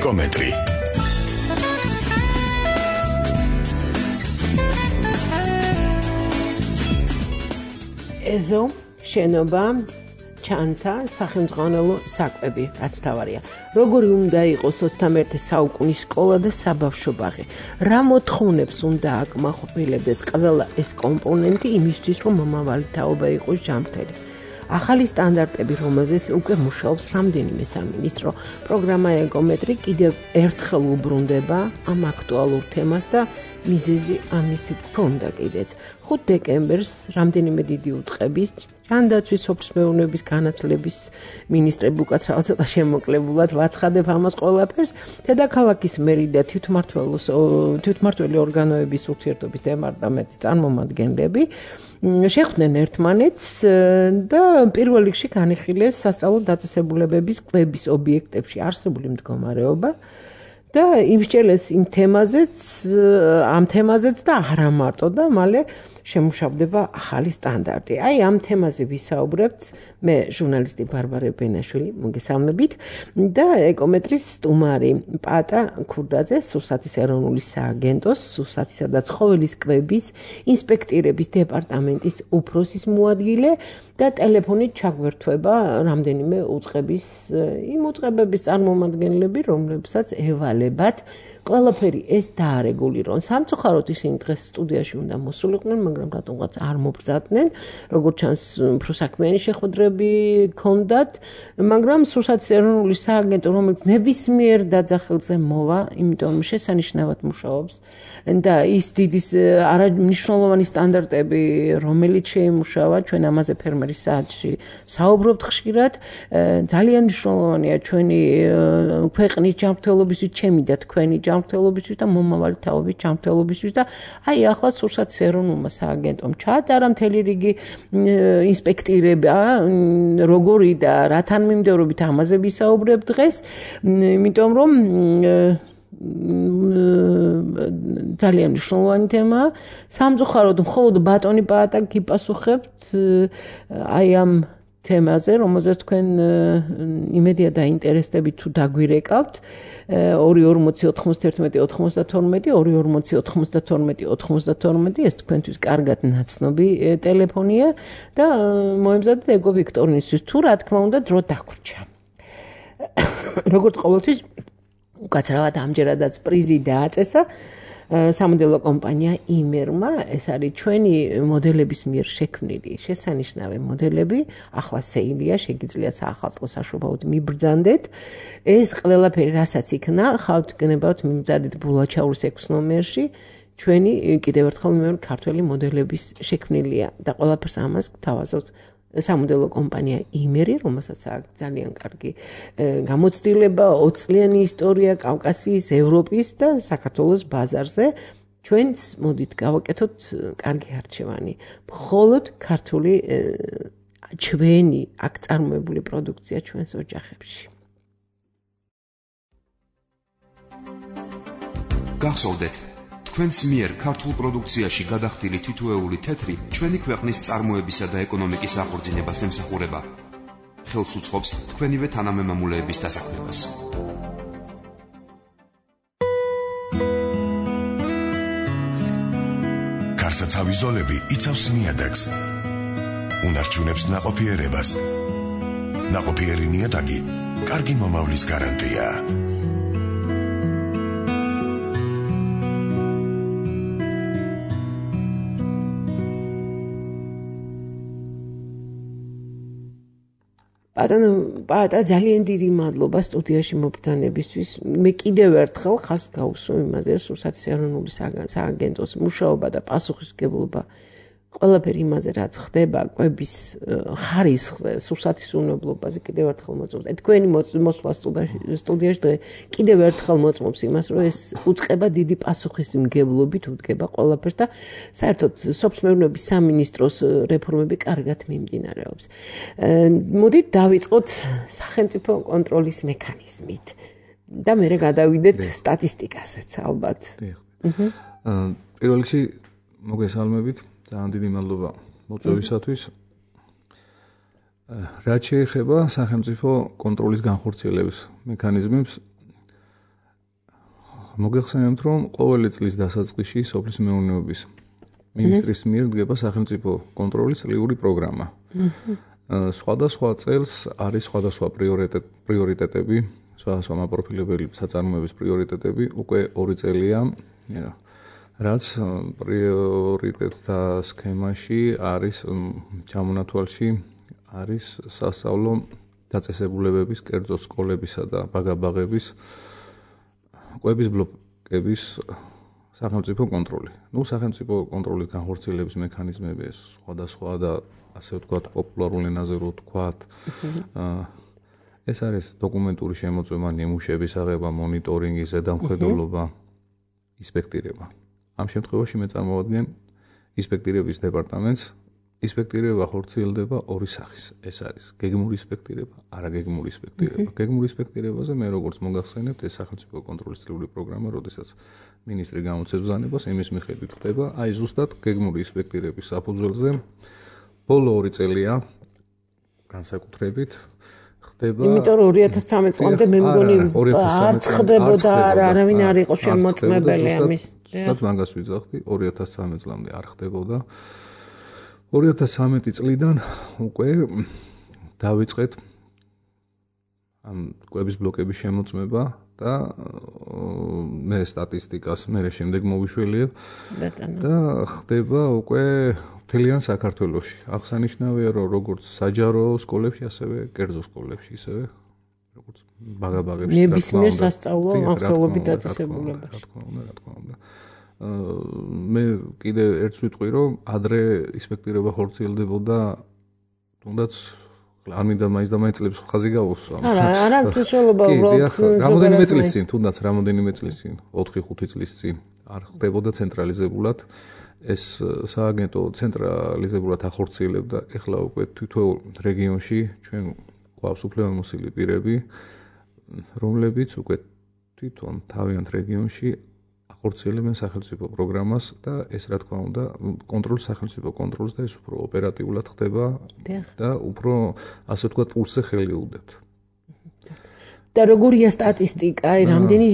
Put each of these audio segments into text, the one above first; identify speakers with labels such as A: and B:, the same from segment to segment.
A: ეკომეტრი.
B: ეზო, შენობა, ჩანთა, სახელმძღვანელო საკვები, რაც თავარია. როგორი უნდა იყოს 21 საუკუნის სკოლა და საბავშვო ბაღი? რა მოთხოვნებს უნდა აკმაყოფილებდეს ყველა ეს კომპონენტი იმისთვის, რომ მომავალი თაობა იყოს ჯანმრთელი? ახალი სტანდარტები, რომელზეც უკვე მუშაობს რამდენიმე სამინისტრო. პროგრამა ეკომეტრი კიდევ ერთხელ უბრუნდება ამ აქტუალურ თემას და მიზეზი ამისი გქონდა კიდეც. 5 დეკემბერს რამდენიმე დიდი უწყების ჯანდაცვის სოფლმეურნეობის განათლების მინისტრები უკაც რაღაც ცოტა შემოკლებულად ვაცხადებ ამას ყველაფერს. დედაქალაქის მერი და თვითმმართველი ორგანოების ურთიერთობის დეპარტამენტის წარმომადგენლები შეხვდნენ ერთმანეთს და პირველ რიგში განიხილეს სასწავლო დაწესებულებების კვების ობიექტებში არსებული მდგომარეობა და იმსჯელეს ამ თემაზეც და არა მარტო და მალე შემუშავდება ახალი სტანდარტი. აი ამ თემაზე ვისაუბრებთ მე ჟურნალისტი ბარბარე ბენაშვილი მოგესალმებით და ეკომეტრის სტუმარი პატა ქურდაძე სურსათის ეროვნული სააგენტოს სურსათისა და ცხოველის კვების ინსპექტირების დეპარტამენტის უფროსის მოადგილე და ტელეფონით ჩაგვერთვება რამდენიმე უწყების იმ უწყებების წარმომადგენლები რომლებსაც ევალებათ ყველაფერი ეს დაარეგულირონ. სამწუხაროდ ისინი დღეს სტუდიაში უნდა მოსულიყვნენ, მაგრამ რატომღაც არ მობრძადნენ. როგორც ჩანს, უფრო საქმიანი შეხვედრები ჰქონდათ, მაგრამ სურსათის ეროვნული სააგენტო, რომელიც ნებისმიერ დაძახილზე მოვა, იმიტომ შესანიშნავად მუშაობს და ის დიდი არამნიშვნელოვანი სტანდარტები, რომელიც შეიმუშავა, ჩვენ ამაზე ფერმერის საათში საუბრობთ ხშირად, ძალიან მნიშვნელოვანია ჩვენი ქვეყნის ჯანმრთელობისთვის, ჩემი და თქვენი ჯანმრთელობისთვის და მომავალი თაობის ჯანმრთელობისთვის და აი ახლა სურსათის ეროვნულმა სააგენტომ ჩაატარა მთელი რიგი ინსპექტირება, როგორი და რათან მიმდევრობით ამაზე ვისაუბრებ დღეს, იმიტომ რომ ძალიან მნიშვნელოვანი თემაა. სამწუხაროდ მხოლოდ ბატონი პაატა გიპასუხებთ აი ამ თემაზე, რომელზეც თქვენ იმედია დაინტერესდებით თუ დაგვირეკავთ. 240-92-92 ეს თქვენთვის კარგად ნაცნობი ტელეფონია და მოემზადეთ ეგო ვიქტორინისთვის თუ რა თქმა უნდა დრო დაგვრჩა. როგორც ყოველთვის უკაცრავად ამჯერადაც პრიზი დააწესა სამოდელო კომპანია იმერმა, ეს არის ჩვენი მოდელების მიერ შექმნილი შესანიშნავი მოდელები, ახლა სეილია, შეგიძლია საახალწლო საშუალებად მიბრძანდეთ. ეს ყველაფერი რასაც იქნა, ხავთ გნებავთ მიმზადეთ ბულაჩაურის 6 ნომერში, ჩვენი კიდევ ერთხელ მეორე ქართველი მოდელების შექმნილია და ყველაფერს ამას გთავაზობს სამოდელო კომპანია იმერი, რომელსაც აქვს ძალიან კარგი გამოცდილება, 20 წლიანი ისტორია კავკასიის, ევროპის და საქართველოს ბაზარზე. ჩვენც მოდით გავაკეთოთ კარგი არჩევანი. მხოლოდ ქართული ჩვენი აქ წარმოებული პროდუქცია ჩვენს ოჯახებში.
C: გახსოვდეთ, თქვენს მიერ ქართულ პროდუქციაში გადახდილი თითოეული თეთრი ჩვენი ქვეყნის წარმოებისა და ეკონომიკის აღორძინებას ემსახურება. ხელს უწყობს თქვენივე თანამემამულეების დასაქმებას.
A: გარსაცავი ზოლები იცავს ნიადაგს. უნარჩუნებს ნაყოფიერებას. ნაყოფიერი ნიადაგი კარგი მომავლის გარანტია.
B: პაატა ძალიან დიდი მადლობა სტუდიაში მობრძანებისთვის. მე კიდევ ერთხელ ხას გავუსვა იმაზე, სურსათის ეროვნული სააგენტოს მუშაობა და პასუხისმგებლობა ყველაფერი იმაზე, რაც ხდება კვების ხარისხზე, სურსათის უნებლობაზე კიდევ ერთხელ მოწმობს. თქვენი მოსვლა სტუდიაში დღე კიდევ ერთხელ მოწმობს იმას, რომ ეს უწყება დიდი პასუხისმგებლობით უდგება ყველაფერს და საერთოდ სოფლმეურნეობის სამინისტროს რეფორმები კარგად მიმდინარეობს. მოდით დავიწყოთ სახელმწიფო კონტროლის მექანიზმით და მერე გადავიდეთ სტატისტიკაზეც ალბათ.
D: პირველ რიგში მოგესალმებით. ძალიან დიდი მადლობა მოწვევისათვის. რაც შეეხება სახელმწიფო კონტროლის განხორციელების მექანიზმებს, მოგეხსენებთ, რომ ყოველი წლის დასაწყისში სოფლის მეურნეობის მინისტრის მიერ დგება სახელმწიფო კონტროლის წლიური პროგრამა. სხვადასხვა წელს არის სხვადასხვა პრიორიტეტები, სხვადასხვა მაპროფილებელი საწარმოების პრიორიტეტები, უკვე 2 წელია, რაც პრიორიტეტთა სქემაში არის ჩამონათვალში არის სასწავლო დაწესებულებების, კერძო სკოლებისა და ბაგაბაღების კვების ბლოკების სახელმწიფო კონტროლი. სახელმწიფო კონტროლის განხორციელების მექანიზმები სხვადასხვა და ასე ვთქვათ, პოპულარულ ენაზე რო ვთქვათ, ეს არის დოკუმენტური შემოწმება, ნიმუშების აღება, მონიტორინგი, ზედამხედველობა, ინსპექტირება. ამ შემთხვევაში მე წარმოვადგენ ინსპექტირების დეპარტამენტს. ინსპექტირება ხორციელდება 2 სახის. ეს არის გეგმური ინსპექტირება, არაგეგმური ინსპექტირება. გეგმური ინსპექტირებაზე მე როგორც მოგახსენებთ, ეს სახელმწიფო კონტროლის წლიური პროგრამა, როდესაც მინისტრი გამოცემს ბრძანებას, იმის მიხედვით ხდება, აი ზუსტად გეგმური ინსპექტირების საფუძველზე ბოლო 2 წელია განსაკუთრებით ხდება.
B: იმიტომ რომ 2013 წლამდე მე მგონი არც ხდებოდა, არავინ არ იყო შემოწმებელი ამის.
D: ზუსტად მაგას ვიძახდი, 2013 წლამდე არ ხდებოდა. 2013 წლიდან უკვე დავიწყეთ ამ კვების ბლოკების შემოწმება და მე სტატისტიკას მე შემდეგ მოვიშველიებ და ხდება უკვე მთლიან საქართველოში. აღსანიშნავია, რომ როგორც საჯარო სკოლებში, ასევე კერძო სკოლებში, ისევე როგორც ბაგაბაღებში,
B: ნებისმიერ სასწავლო ახსოვებით დაწესებულებაში.
D: რა თქმა უნდა. მე კიდე ერთს ვიტყვი, რომ ადრე ინსპექტირება ხორციელდებოდა, თუნდაც არ მინდა მაინც და მაინც წლებს ხაზი გავუსვა.
B: არა, თვითშელობა უბრალოდ
D: რამოდენიმე წლის წინ, თუნდაც რამოდენიმე წლის წინ, 4-5 წლის წინ არ ხდებოდა ცენტრალიზებულად. ეს სააგენტო ცენტრალიზებულად ახორციელებდა. ეხლა უკვე თითოეულ რეგიონში ჩვენ გვაქვს უფლებამოსილი პირები, რომლებიც უკვე თვითონ თავიანთ რეგიონში ახორციელებენ სახელმწიფო პროგრამას და ეს რა თქმა უნდა კონტროლს სახელმწიფო კონტროლს და ეს უფრო ოპერატიულად ხდება და უფრო ასე ვთქვათ პულსზე ხელი უდებთ.
B: და როგორია სტატისტიკა, რამდენი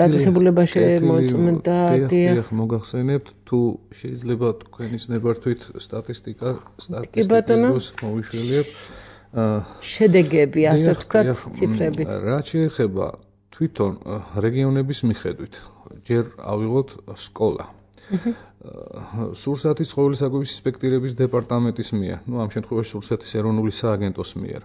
B: დაწესებულება შემოწმდა?
D: დიახ, მოგახსენებთ, თუ შეიძლება თქვენის ნებართვით სტატისტიკას მოვიშველიებ.
B: შედეგები, ასე ვთქვათ, ციფრებით.
D: რაც შეეხება თვითონ რეგიონების მიხედვით, ჯერ ავიღოთ სკოლა. სურსათის ცხოველისაგების ინსპექტირების დეპარტამენტის მიერ, ამ შემთხვევაში სურსათის ეროვნული სააგენტოს მიერ.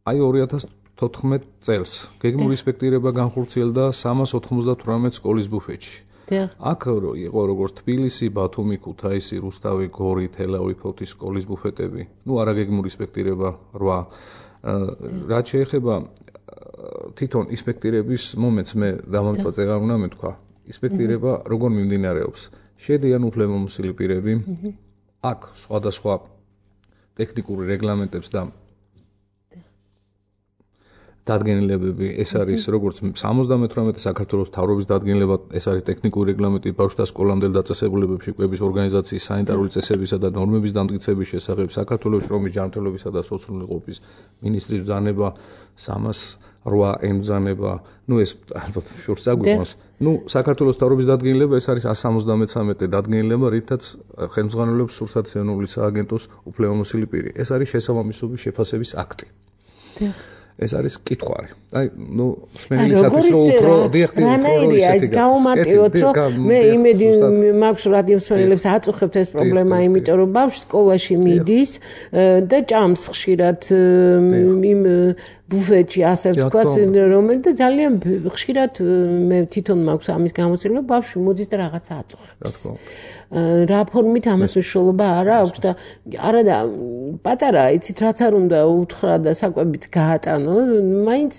D: აი 2014 წელს გეგმური ინსპექტირება განხორციელდა 398 სკოლის ბუფეტში. აქ იყო როგორც თბილისი, ბათუმი, ქუთაისი, რუსთავი, გორი, თელავი, ფოთის სკოლის ბუფეტები. არაგეგმური ინსპექტირება 8. რაც შეეხება თვითონ ინსპექტირების მომენტს მე დამამწვავ აღარ უნდა მეთქვა. ინსპექტირება როგორ მიმდინარეობს? შედიან უფლებამოსილი პირები. აქ სხვადასხვა ტექნიკური რეგლამენტებს და დადგენილებები, ეს არის როგორც 78 საქართველოს მთავრობის დადგენილება, ეს არის ტექნიკური რეგლამენტი ბავშვთა სკოლამდელ დაწესებულებებში კვების ორგანიზაციის სანიტარული წესებისა და ნორმების დამტკიცების შესახებ, საქართველოს შრომის ჯანმრთელობისა და სოციალურობის მინისტრის ბრძანება 308 ემბრძანება, ეს ალბათ შორს აგვიყვანს. საქართველოს მთავრობის დადგენილება, ეს არის 173 დადგენილება, რითაც ხელმძღვანელობს სურსათის ეროვნული სააგენტოს უფლებამოსილი პირი. ეს არის შესაბამისობის შეფასების აქტი. ეს არის კითხვარი.
B: მსმენელისათვის უფრო რანაირია ეს გავუმარტივოთ, რომ მე იმედი მაქვს რადიო მსმენელებს აწუხებთ ეს პრობლემა, იმიტომ რომ ბავშვი სკოლაში მიდის და ჭამს ხშირად იმ ბუფეტში, ასე ვთქვათ, რომელიც ძალიან ხშირად მე თვითონ მაქვს ამის გამოცდილება, ბავშვი მოდის და რაღაცა აწუხებს. რა ფორმით ამას მნიშვნელობა არა აქვს და არა და პატარა, იცით, რაც არ უნდა უთხრა და საკვებით გაატანო, მაინც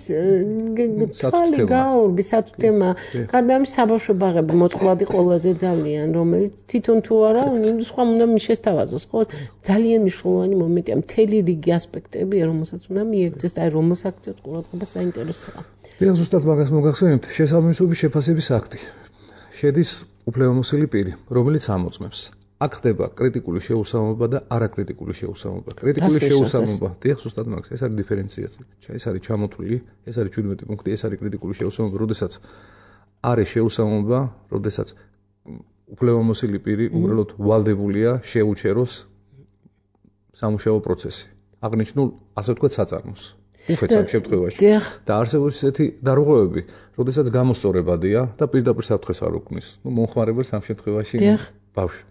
B: თვალი გაურბი სათუთემა. გარდა ამის საბავშვო ბაღები მოწყვლადი ყველაზე ძალიან, რომელიც თვითონ თუ არა, სხვა უნდა მიშესთავაზოს, ხო? ძალიან მნიშვნელოვანი მომენტია, მთელი რიგი ასპექტებია, რომელსაც უნდა მიეღწეს და რომელ აქციებს ყურადღება საინტერესოა.
D: ზუსტად მაგას მოგახსენებთ, შესაბამისობის შეფასების აქტი. შედის უფლებამოსილი პირი, რომელიც ამოწმებს. აქ ხდება კრიტიკული შეუსამობა და არაკრიტიკული შეუსამობა. კრიტიკული შეუსამობა, დიახ, ზუსტად მაგას, ეს არის დიფერენციაცია. ეს არის ჩამოთვლილი, ეს არის 17 პუნქტი, ეს არის კრიტიკული შეუსამობა, როდესაც არის შეუსამობა, როდესაც უფლებამოსილი პირი უბრალოდ ვალდებულია შეუჩეროს სამუშაო პროცესი. აღნიშნულ, ასე ვთქვათ, საწარმოს. უფეც ამ შემთხვევაში. და არსებობს ისეთი დარღვევები, როდესაც გამოსწორებადია და პირდაპირ საფრთხეს არ უქმნის. მომხმარებელს ამ შემთხვევაში ბავშვი.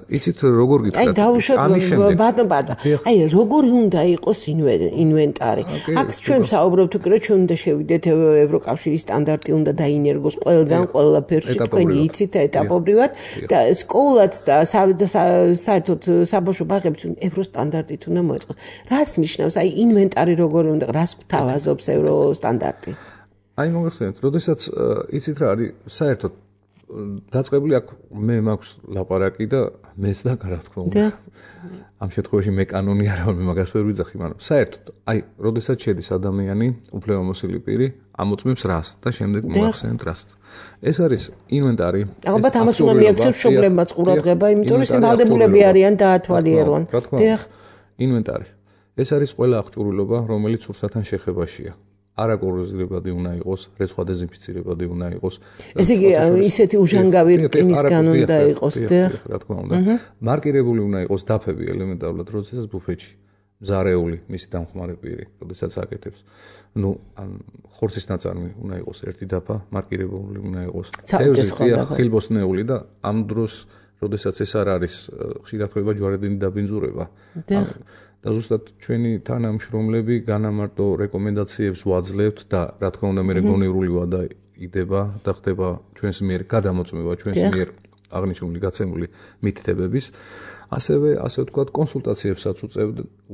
D: იცით როგორ გითხრათ?
B: აი როგორი უნდა იყოს ინვენტარი? აქ ჩვენ საუბრობთ უკვე რომ ჩვენ უნდა შევიდეთ ევროკავშირის სტანდარტი უნდა დაინერგოს ყველგან ყველაფერში თქვენი იცით ეტაპობრივად და სკოლაც და საერთოდ საბავშვო ბაღებიც ევროსტანდარტით უნდა მოეწყოს. რას ნიშნავს აი ინვენტარი როგორი უნდა რას გვთავაზობს ევროსტანდარტი?
D: აი მოგახსენეთ, როდესაც იცით რა არის საერთოდ დაწყებული აქ მე მაქვს ლაპარაკი და მეც და რა თქმა უნდა. ამ შემთხვევაში მე კანონი არა ვარ, მე მაგას ვერ ვიძახი, მაგრამ საერთოდ აი, როდესაც შედის ადამიანი, უფლებამოსილი პირი, ამოწმებს რას და შემდეგ მოახსენებთ რას. ეს არის ინვენტარი.
B: ალბათ ამას უნდა მიაქციოს მშობლებმაც ყურადღება, იმიტომ რომ ისინი ვალდებულები არიან დაათვალიერონ.
D: დიახ. ინვენტარი. ეს არის ყველა აღჭურვილობა, რომელიც სურსათთან შეხებაშია. არაკოროზირებადი უნდა იყოს, რეცხვა დეზინფიცირებადი უნდა იყოს.
B: ესე იგი, ისეთი უჟანგავი რკინისგან უნდა იყოს, დიახ.
D: რა თქმა უნდა. მარკირებული უნდა იყოს დაფები ელემენტარულად, როდესაც ბუფეტში მზარეული მისი დამხმარე პირი, როდესაც აკეთებს. ნუ ან ხორცის ნაწარმი უნდა იყოს ერთი დაფა, მარკირებული უნდა იყოს. ხილბოსნეული და ამ დროს, როდესაც ეს არ არის, ხშირად ხდება ჯვარედინი დაბინძურება. და ზუსტად ჩვენი თანამშრომლები განამარტო რეკომენდაციებს ვაძლევთ და რა თქმა უნდა მე გონევრული ვადა იდება და ხდება ჩვენს მიერ გადამოწმება ჩვენს მიერ აღნიშნული გაცემული მითითებების ასევე ასე ვთქვათ კონსულტაციებსაც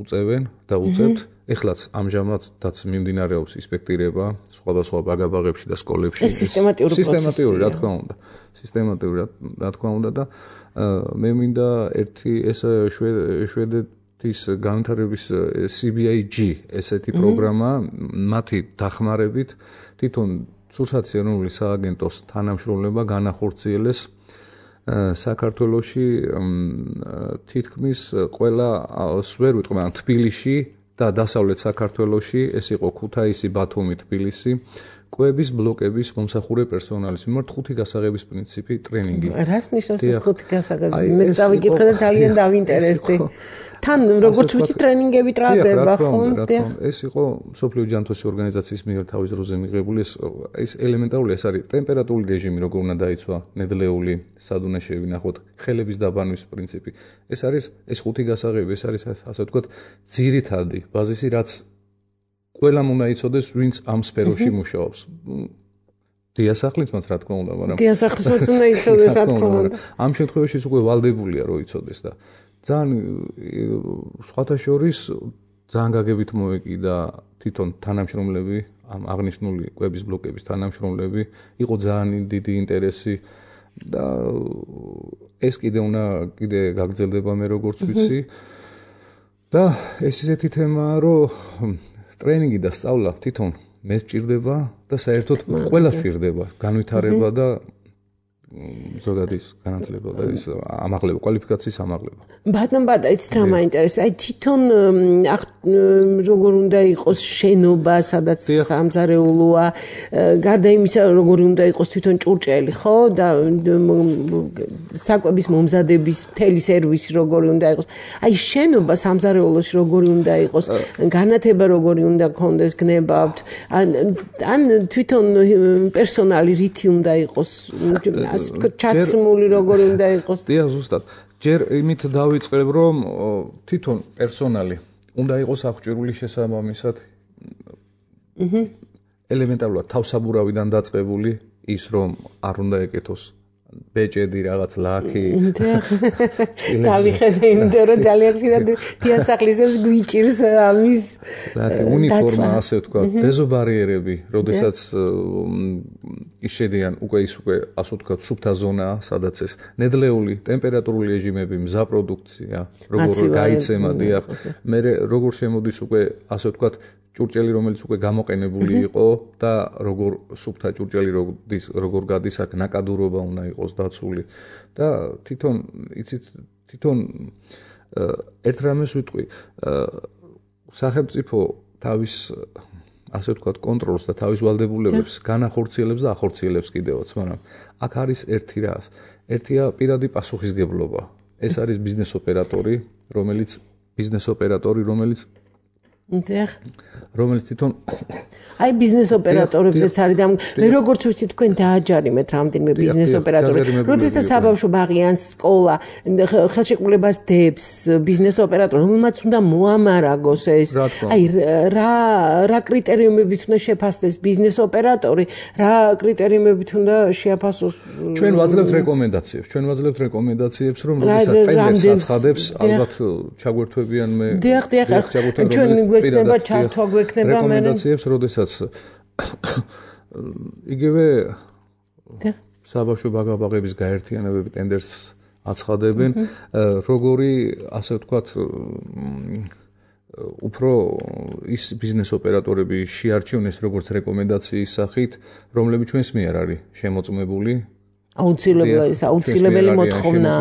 D: უწევენ და უწევთ ეხლაც ამჟამადაც მიმდინარეობს ინსპექტირება სხვადასხვა ბაგაბაღებში და სკოლებში
B: ეს სისტემატიური
D: რა თქმა უნდა სისტემატიური რა თქმა უნდა და მე მინდა ერთი ეს შვედეთის განვითარების CBIG ესეთი პროგრამა მათი დახმარებით თვითონ სურსათის ეროვნული სააგენტოს თანამშრომლობა განახორციელეს საქართველოში თითქმის ყველა ვერ ვიტყვი მაგრამ თბილისში და დასავლეთ საქართველოში ეს იყო ქუთაისი, ბათუმი, თბილისი კვების ბლოკების მომსახურე პერსონალის მიმართ ხუთი გასაღების პრინციპი ტრენინგი.
B: რას ნიშნავს ეს ხუთი გასაღები? მე დავიკითხე და ძალიან დავინტერესდი. თან როგორც ვიცი ტრენინგები ტრაგდება ხო?
D: ეს იყო სოფლიო ჯანმრთელობის ორგანიზაციის მიერ თავის დროზე მიღებული ეს ელემენტარული ეს არის ტემპერატურული რეჟიმი როგორ უნდა დაიცვა ნედლეული სად უნდა შევინახოთ ხელების დაბანვის პრინციპი. ეს არის ეს ხუთი გასაღები ეს არის ასე ვთქვათ ძირითადი ბაზისი რაც ყველამ უნდა იცოდეს ვინც ამ სფეროში მუშაობს. დიასახლისმაც რა თქმა უნდა, მაგრამ
B: დიასახლისმაც უნდა იცოდეს რა თქმა უნდა.
D: ამ შემთხვევაში უკვე ვალდებულია რომ იცოდეს და ძალიან სხვათა შორის ძალიან გაგებით მოეკიდა თვითონ თანამშრომლები ამ აღნიშნული კვების ბლოკების თანამშრომლები იყო ძალიან დიდი ინტერესი და ეს კიდე გაგრძელდება მე როგორც ვიცი და ეს ისეთი თემაა რომ ტრენინგი და სწავლა თვითონ მე სჭირდება და საერთოდ ყველას სჭირდება განვითარება და ზოგადის განათლება და ის ამაღლება კვალიფიკაციის ამაღლება.
B: ბატონ იცით რა მაინტერესებს? აი თვითონ როგორ უნდა იყოს შენობა, სადაც სამზარეულოა, გარდა იმისა როგორი უნდა იყოს თვითონ ჭურჭელი, ხო? და საკვების მომზადების მთელი სერვისი როგორი უნდა იყოს. აი შენობა სამზარეულოში როგორი უნდა იყოს, განათება როგორი უნდა გქონდეს, გნებავთ, ან თვითონ პერსონალი რითი უნდა იყოს, ჩაცმული როგორი უნდა იყოს.
D: დიახ, ზუსტად. ჯერ იმით დავიწყებ, რომ თვითონ პერსონალი უნდა იყოს აღჭურვილი შესაბამისად. ელემენტარულად თავსაბურავიდან დაწყებული ის რომ არ უნდა ეკეთოს ბეჭედი რაღაც ლაქი.
B: დავიხედე იმიტომ რომ ძალიან ხშირად დიასახლისებს გვიჭირს ამის
D: ლაქი უნიფორმა ასე ვთქვათ, დეზობარიერები, როდესაც ისედიან უკვე ასე ვთქვათ სუფთა ზონაა, სადაც ეს ნედლეული ტემპერატურული რეჟიმები, მზა პროდუქცია, როგორ გაიცემა, დიახ. მე როგორ შემოდის უკვე ასე ვთქვათ ჭურჭელი რომელიც უკვე გამოყენებული იყო და როგორ სუფთა ჭურჭელი როგორ გადის აქ ნაკადურობა უნდა იყოს დაცული და თვითონ ერთ რამეს ვიტყვი სახელმწიფო თავის ასე ვთქვათ კონტროლს და თავის ვალდებულებებს განახორციელებს და ახორციელებს კიდევაც, მაგრამ აქ არის ერთია პირადი პასუხისგებლობა. ეს არის ბიზნეს ოპერატორი, რომელიც თვითონ
B: აი ბიზნეს ოპერატორებზეც არის და მე როგორც ვიცი თქვენ დააჯარიმეთ რამდენიმე ბიზნეს ოპერატორი. როდესაც საბავშვო ბაღი ან სკოლა ხელშეკრულებას დებს ბიზნეს ოპერატორს, რომელმაც უნდა მოამარაგოს ეს. აი რა კრიტერიუმებით უნდა შეფასდეს ბიზნეს ოპერატორი, რა კრიტერიუმებით უნდა შეაფასოს.
D: ჩვენ ვაძლევთ რეკომენდაციებს, რომ როდესაც ტენდერს აცხადებს, ალბათ ჩაგვერთვებიან მე.
B: დიახ, ჩვენ გვექნება ჩართვა გვექნება
D: რეკომენდაციებს, როდესაც იგივე საბავშვო ბაღების გაერთიანებები ტენდერს აცხადებენ, როგორი ასე ვთქვათ უფრო ის ბიზნეს ოპერატორები შეარჩივნეს როგორც რეკომენდაციის სახით, რომლებიც ჩვენს მიერ არის შემოწმებული.
B: აუცილებელი მოთხოვნა.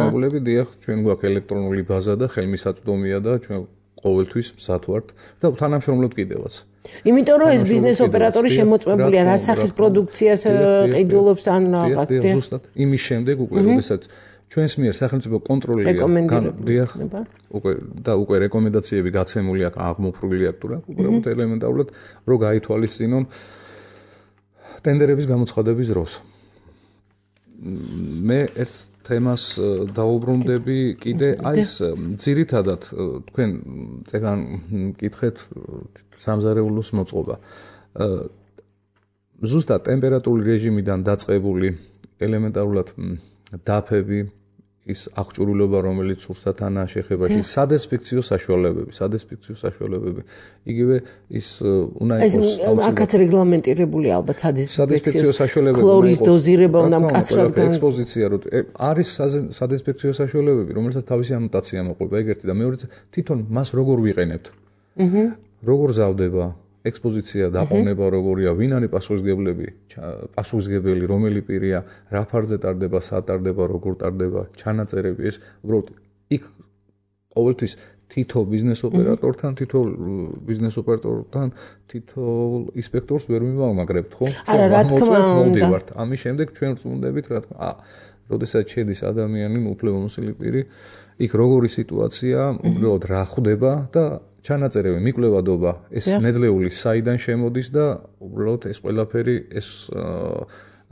D: დიახ, ჩვენ გვაქვს ელექტრონული ბაზა და ხელმისაწვდომია და ჩვენ ყოველთვის მსად ვართ და თანამშრომლობთ კიდევაც.
B: იმიტომ რომ ეს ბიზნეს ოპერატორი შემოწმებულია რა სახის პროდუქციას ყიდულობს ან რაღაც.
D: ზუსტად იმის შემდეგ უკვე როდესაც ჩვენს მიერ სახელმწიფო კონტროლია უკვე რეკომენდაციები გაცემული აქვს აღმოფრული აქვს თუ რა უბრალოდ ელემენტარულად რომ გაითვალისწინონ ტენდერების გამოცხადების დროს. მე ერთ თემას დაუბრუნდები კიდე აი ეს ძირითადად თქვენ წეგან მკითხეთ სამზარეულოს მოწყობა. ზუსტად ტემპერატურული რეჟიმიდან დაწყებული ელემენტარულად დაფები ის აღჭურვილობა რომელიც სურსათანაა შეხებაში სადესპექციო საშუალებები იგივე ის უნდა იყოს
B: აქაც რეგლამენტირებული ალბათ
D: სადესპექციო საშუალებები
B: ქლორის დოზირება უნდა მკაცრად
D: ექსპოზიცია რო არის სადესპექციო საშუალებები რომელსაც თავისი ანოტაცია მოყვება ეგერთი და მეორე თვითონ მას როგორ ვიყენებთ როგორ ზავდება ექსპოზიცია დაყოვნება როგორია ვინ არის პასუხისმგებელი რომელი პირია რა ფარზე ტარდება სად ტარდება როგორ ტარდება ჩანაწერები ეს უბრალოდ იქ ყოველთვის თითო ბიზნეს ოპერატორთან თითო ინსპექტორს ვერ მივამაგრებთ ხო?
B: არა რა თქმა უნდა
D: ამის შემდეგ ჩვენ ვწუნდებით რა თქმა როდესაც შედის ადამიანი უფლებამოსილი პირი იქ როგორი სიტუაცია უბრალოდ რა ხვდება და ჩანაწერები მიკვლევადობა ეს ნედლეული საიდან შემოდის და უბრალოდ ეს ყველაფერი ეს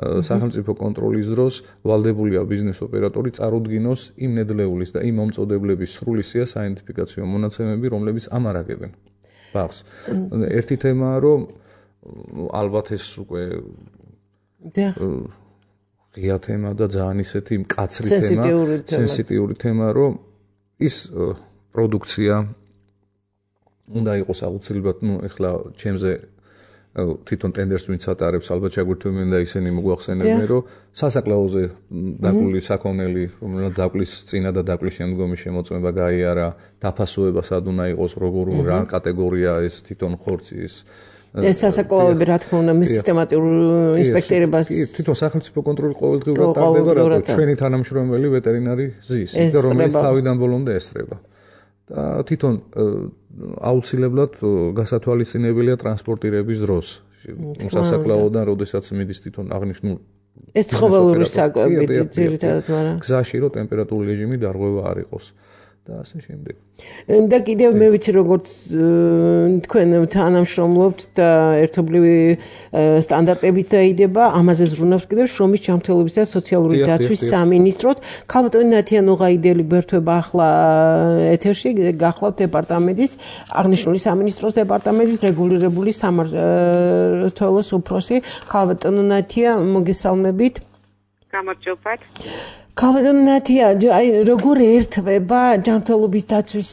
D: სახელმწიფო კონტროლის დროს ვალდებულია ბიზნეს ოპერატორი წარუდგინოს იმ ნედლეულის და იმ მომწოდებლების სრული სია საიდენტიფიკაციო მონაცემები რომლებიც ამარაგებენ ბაღს ერთი თემაა რომ ალბათ ეს უკვე ღია თემა და ძალიან ისეთი მკაცრი თემა სენსიტიური თემა რომ ის პროდუქცია უნდა იყოს აუცილებლად, ეხლა ჩემზე თვითონ ტენდერს ვინც ატარებს, ალბათ ჩაგვერთვებიან და ისინი მოგვახსენებენ, რომ სასაკლაოზე დაკვილი საქონელი, რომელსაც დაკლის წინა და დაკლის შემდგომი შემოწმება გაიარა, დაფასოება სად უნდა იყოს, როგორ რა კატეგორია ეს თვითონ ხორცი ეს
B: სასაკლაოები რა თქმა უნდა სისტემატურ ინსპექტირებას
D: თვითონ სახელმწიფო კონტროლი ყოველდღიურად ტარდება, რატო ჩვენი თანამშრომელი ვეტერინარი ზის, რომელიც თავიდან ბოლომდე ესწრება. და თვითონ აუცილებლად გასათვალისწინებელია ტრანსპორტირების დროს. სასაკლაოდან, როდესაც მიდის თვითონ აღნიშნულ
B: ეს ცხოველური საკვები ძირითადად, მაგრამ
D: გზაში რომ ტემპერატურული რეჟიმი დარღვევა არ იყოს. და ასე შემდეგ.
B: და კიდევ მე ვიცი როგორც თქვენ თანამშრომლობთ და ერთობლივი სტანდარტებით დაიდება, ამაზე ზრუნავს კიდევ შრომის ჯანმრთელობის და სოციალური დაცვის სამინისტროს. ქალბატონი ნათია ნუღაიდელი გვერდება ახლა ეთერში, გახლავთ დეპარტამენტის, აღნიშნული სამინისტროს დეპარტამენტის რეგულირებული სამმართველოს უფროსი. ქალბატონი ნათია, მოგესალმებით.
E: გამარჯობათ.
B: ქალბატონი ნათია, აი როგორ ერთვება ჯანმრთელობის დაცვის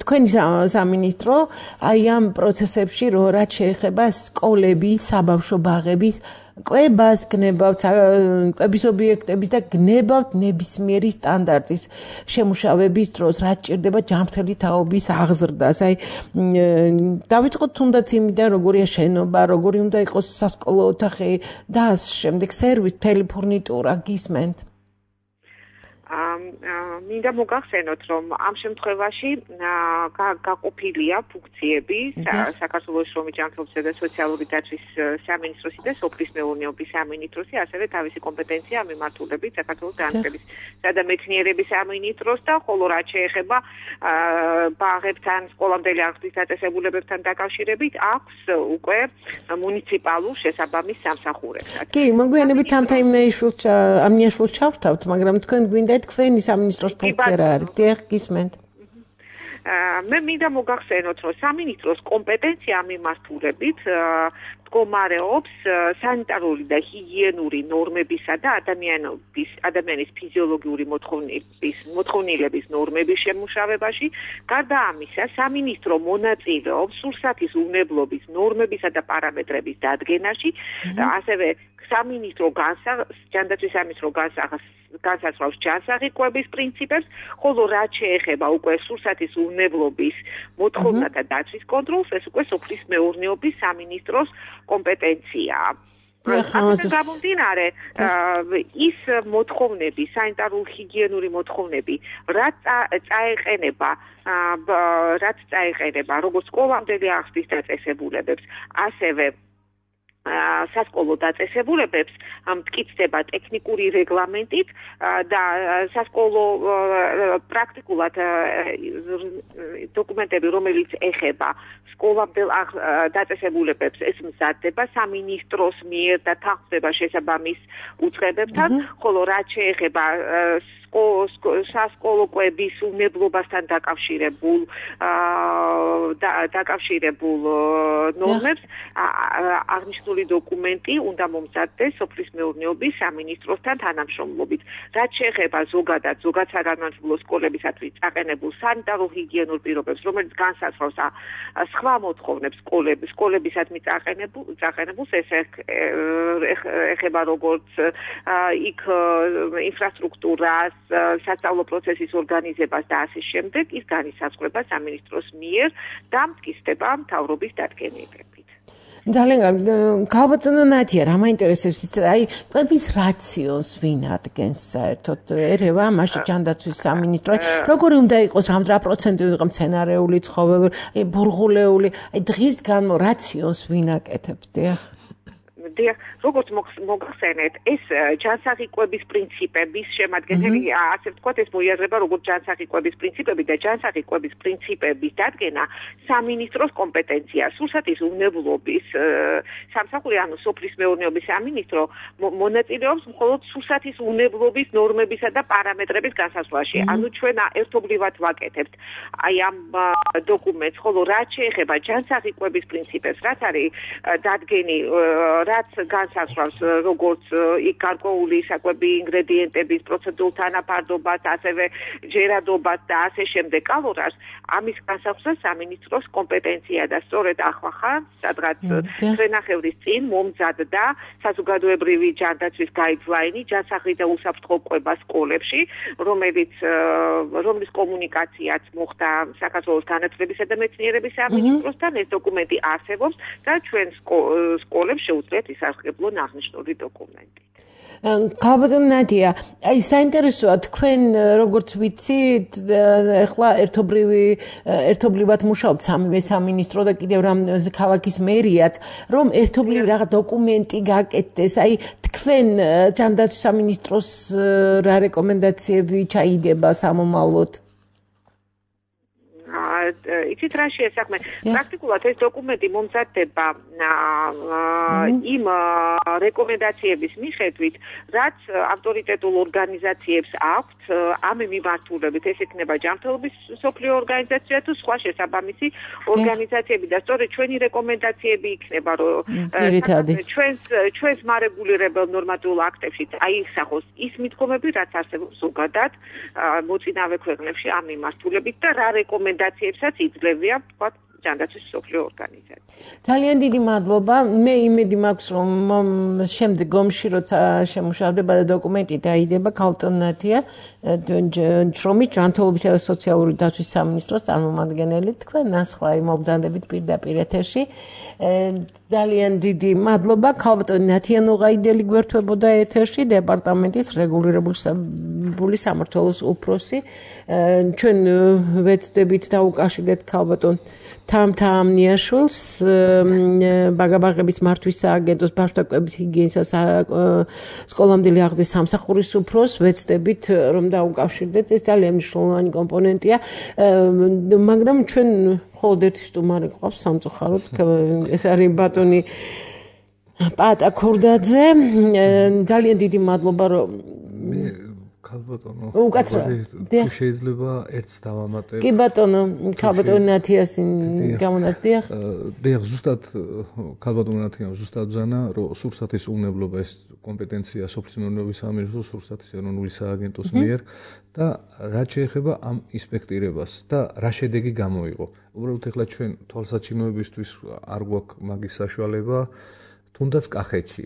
B: თქვენი სამინისტრო აი ამ პროცესებში, რაც შეეხება სკოლების, საბავშვო ბაღების კვებას გნებავთ, კვების ობიექტების და გნებავთ ნებისმიერი სტანდარტის შემუშავების დროს, რაც ჭირდება ჯანმრთელი თაობის აღზრდას. აი დავიწყოთ თუნდაც იმიდან, როგორია შენობა, როგორი უნდა იყოს სასკოლო ოთახი და შემდეგ სერვისი, მთელი ფურნიტურა გისმენთ.
E: მინდა მოგახსენოთ, რომ ამ შემთხვევაში გაყოფილია ფუნქციები საქართველოს შრომის ჯანმრთელობისა და სოციალური დაცვის სამინისტროსი და სოფლის მეურნეობის სამინისტროსი, ასევე თავისი კომპეტენცია მიმართულებით საქართველოს განათლებისა და მეცნიერების სამინისტროს და ხოლო რაც შეეხება ბაღებთან, სკოლამდელი აღზრდის დაწესებულებებთან დაკავშირებით აქვს უკვე მუნიციპალურ შესაბამის სამსახურებსაც.
B: კი, მოგვიანებით ამნიაშვილს ჩავთავთ, მაგრამ თქვენ გვინდა თქვენი სამინისტროს ფუნქცია რა არის? დიახ, გისმენთ.
E: მე მინდა მოგახსენოთ, რომ სამინისტროს კომპეტენცია მიმართულებით მდგომარეობს სანიტარული და ჰიგიენური ნორმებისა და ადამიანის ფიზიოლოგიური მოთხოვნილების ნორმების შემუშავებაში. გარდა ამისა, სამინისტრო მონაწილეობს სურსათის უვნებლობის ნორმებისა და პარამეტრების დადგენაში, ასევე სამინისტრო ჯანდაცვის სამინისტრო განსაზღვრავს ჯანსაღი კვების პრინციპებს, ხოლო რაც შეეხება უკვე სურსათის უვნებლობის მოთხოვნათა დაცვის კონტროლს, ეს უკვე სოფლის მეურნეობის სამინისტროს კომპეტენციაა. ამაზე გამომდინარე, ის მოთხოვნები, სანიტარულ-ჰიგიენური მოთხოვნები, რაც წაეყენება როგორც სკოლამდელი აღზრდის დაწესებულებებს, ასევე სასკოლო დაწესებულებებს მტკიცდება ტექნიკური რეგლამენტით და სასკოლო პრაქტიკულად დოკუმენტები, რომელიც ეხება სკოლამდელ დაწესებულებებს, ეს მზადდება სამინისტროს მიერ და თანხმდება შესაბამის უწყებებთან, ხოლო რაც შეეხება სასკოლო კვების უვნებლობასთან დაკავშირებულ ნორმებს აღნიშნული დოკუმენტი უნდა მომზადდეს სოფლის მეურნეობის სამინისტროსთან თანამშრომლობით. რაც შეეხება ზოგად საგანმანათლებლო სკოლებისათვის წაყენებულ სანიტარულ-ჰიგიენურ პირობებს, რომელიც განსაზღვრავს სხვა მოთხოვნებს სკოლებისადმი წაყენებულს, ეს ეხება როგორც იქ ინფრასტრუქტურას, სასწავლო პროცესის ორგანიზებას და ასე შემდეგ, ის განისაზღვრება სამინისტროს მიერ და მტკიცდება მთავრობის დადგენილებით.
B: ძალიან გავაბატონო ნათია, რა მაინტერესებს ის, აი, კვების რაციონს ვინ ადგენს საერთოდ? ერევა, მაშინ ჯანდაცვის სამინისტრო, როგორი უნდა იყოს, რა პროცენტი უნდა იყოს მცენარეული, ცხოველური, აი, ბურღულეული, აი, დღის განმავლობაში რაციონს ვინ აკეთებს, დიახ?
E: როგორც მოგახსენეთ, ეს ჯანსაღი კვების პრინციპების შემადგენელი, ასე ვთქვათ, ეს მოიაზრება როგორც ჯანსაღი კვების პრინციპები და ჯანსაღი კვების პრინციპების დადგენა სამინისტროს კომპეტენცია. სურსათის უვნებლობის სამსახური, ანუ სოფლის მეურნეობის სამინისტრო მონაწილეობს მხოლოდ სურსათის უვნებლობის ნორმებისა და პარამეტრების განსაზღვრაში. ანუ ჩვენ ერთობლივად ვაკეთებთ აი ამ დოკუმენტს, ხოლო რაც შეეხება ჯანსაღი კვების პრინციპებს, რაც არის დადგენილი, რაც განსაზღვრავს როგორც გარკვეული საკვები ინგრედიენტების პროცედურულ თანაფარდობას, ასევე ჯერადობას და ასე შემდეგ კალორიას, ამის განსაზღვრა სამინისტროს კომპეტენცია და სწორედ ახლა სადღაც ჩვენახევრის წინ მომზადდა საზოგადოებრივი ჯანდაცვის გაიდლაინი ჯანსაღი და უსაფრთხო კვება სკოლებში, რომლის კომუნიკაციაც მოხდა საქართველოს განათლებისა და მეცნიერების სამინისტროსთან. ეს დოკუმენტი არსებობს და ჩვენ სკოლებს შეუძლიათ ისარგებლონ აღნიშნული დოკუმენტით.
B: გავაბატონო ნადია, აი საინტერესოა თქვენ როგორც ვიცით, ახლა ერთობლივად მუშაობთ სამივე სამინისტრო და კიდევ რამ ქალაქის მერიაც, რომ ერთობლივ რაღაც დოკუმენტი გაკეთდეს, აი თქვენ ჯანდაცვის სამინისტროს რა რეკომენდაციები ჩაიდება სამომავლოდ?
E: იცით რა შეესახმე, პრაქტიკულად ეს დოკუმენტი მომზადდება იმ რეკომენდაციების მიხედვით, რაც ავტორიტეტულ ორგანიზაციებს აქვთ ამ მიმართულებით, ეს იქნება ჯანმრთელობის მსოფლიო ორგანიზაცია თუ სხვა შესაბამისი ორგანიზაციები და სწორედ ჩვენი რეკომენდაციები იქნება, რომ ჩვენს მარეგულირებელ ნორმატიულ აქტებში აიხსახოს ის მიდგომები, რაც არსებობს ზოგადად მოწინავე ქვეყნებში ამ მიმართულებით და რა რეკომენდაციებსაც იძლევია, ვთქვათ, ჯანდაცვის მსოფლიო ორგანიზაცია.
B: ძალიან დიდი მადლობა. მე იმედი მაქვს, რომ შემდეგ ომში როცა შემუშავდება და დოკუმენტი დაიდება, ქალბატონია შრომით ჯანმრთელობისა და სოციალური დაცვის სამინისტროს წარმომადგენელი თქვენ ნასხვა მობრძანდებით პირდაპირ ეთერში. ძალიან დიდი მადლობა. ქალბატონი ნათია ნუღაიდელი გვერდებოდა ეთერში, დეპარტამენტის რეგულირებული სამმართველოს უფროსი. ჩვენ ვეცდებით დაუკავშირდეთ ქალბატონ თამთა ამნიაშვილს, ბაგაბაღების მართვის სააგენტოს ბავშვთა კვების ჰიგიენისა სკოლამდელი აღზრდის სამსახურის უფროსს ვეცდებით რომ დაუკავშირდეთ. ეს ძალიან მნიშვნელოვანი კომპონენტია, მაგრამ ჩვენ მხოლოდ ერთი სტუმარი გვყავს სამწუხაროდ, ეს არის ბატონი პატა ქურდაძე. ძალიან დიდი მადლობა რომ
D: ქალბატონო
B: უკაცრავად
D: შეიძლება ერთს დავამატებ.
B: კი ბატონო, ქალბატონი ნათიასი გამონათდიახ.
D: დიახ, ზუსტად ქალბატონი ნათიამ ზუსტად ბრძანა, რომ სურსათის უნებლობა ეს კომპეტენცია სოფლის მეურნეობის სამინისტროს სურსათის ეროვნული სააგენტოს მიერ და რაც შეეხება ამ ინსპექტირებას და რა შედეგი გამოიღო. უბრალოდ ეხლა ჩვენ თვალსაჩინოებისთვის არ გვაქვს მაგის საშუალება, თუნდაც კახეთში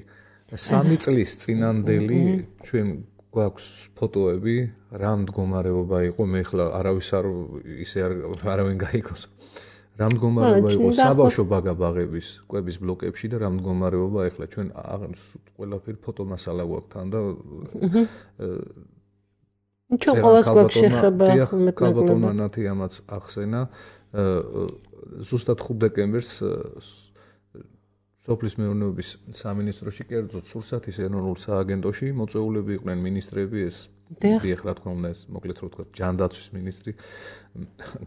D: 3 წლის წინანდელი ჩვენ გვაქვს ფოტოები, რა მდგომარეობა იყო, მე ახლა არავის არ ისე არავინ გაიგოს. რა მდგომარეობა იყო საბავშვო ბაგაბაღების კვების ბლოკებში და რა მდგომარეობა ახლა ჩვენ ყველაფერი ფოტომასალა გვაქვს თან და
B: ჩვენ ყოველს გვაქვს შეხება
D: ქალბატონმა ნათიამაც ახსენა ზუსტად 5 დეკემბერს სოფლის მეურნეობის სამინისტროში, კერძოდ სურსათის ეროვნულ სააგენტოში მოწვეულები იყვნენ მინისტრები, ეს დიახ, რა თქმა უნდა, ეს მოკლედ რო ვთქვათ, ჯანდაცვის მინისტრი,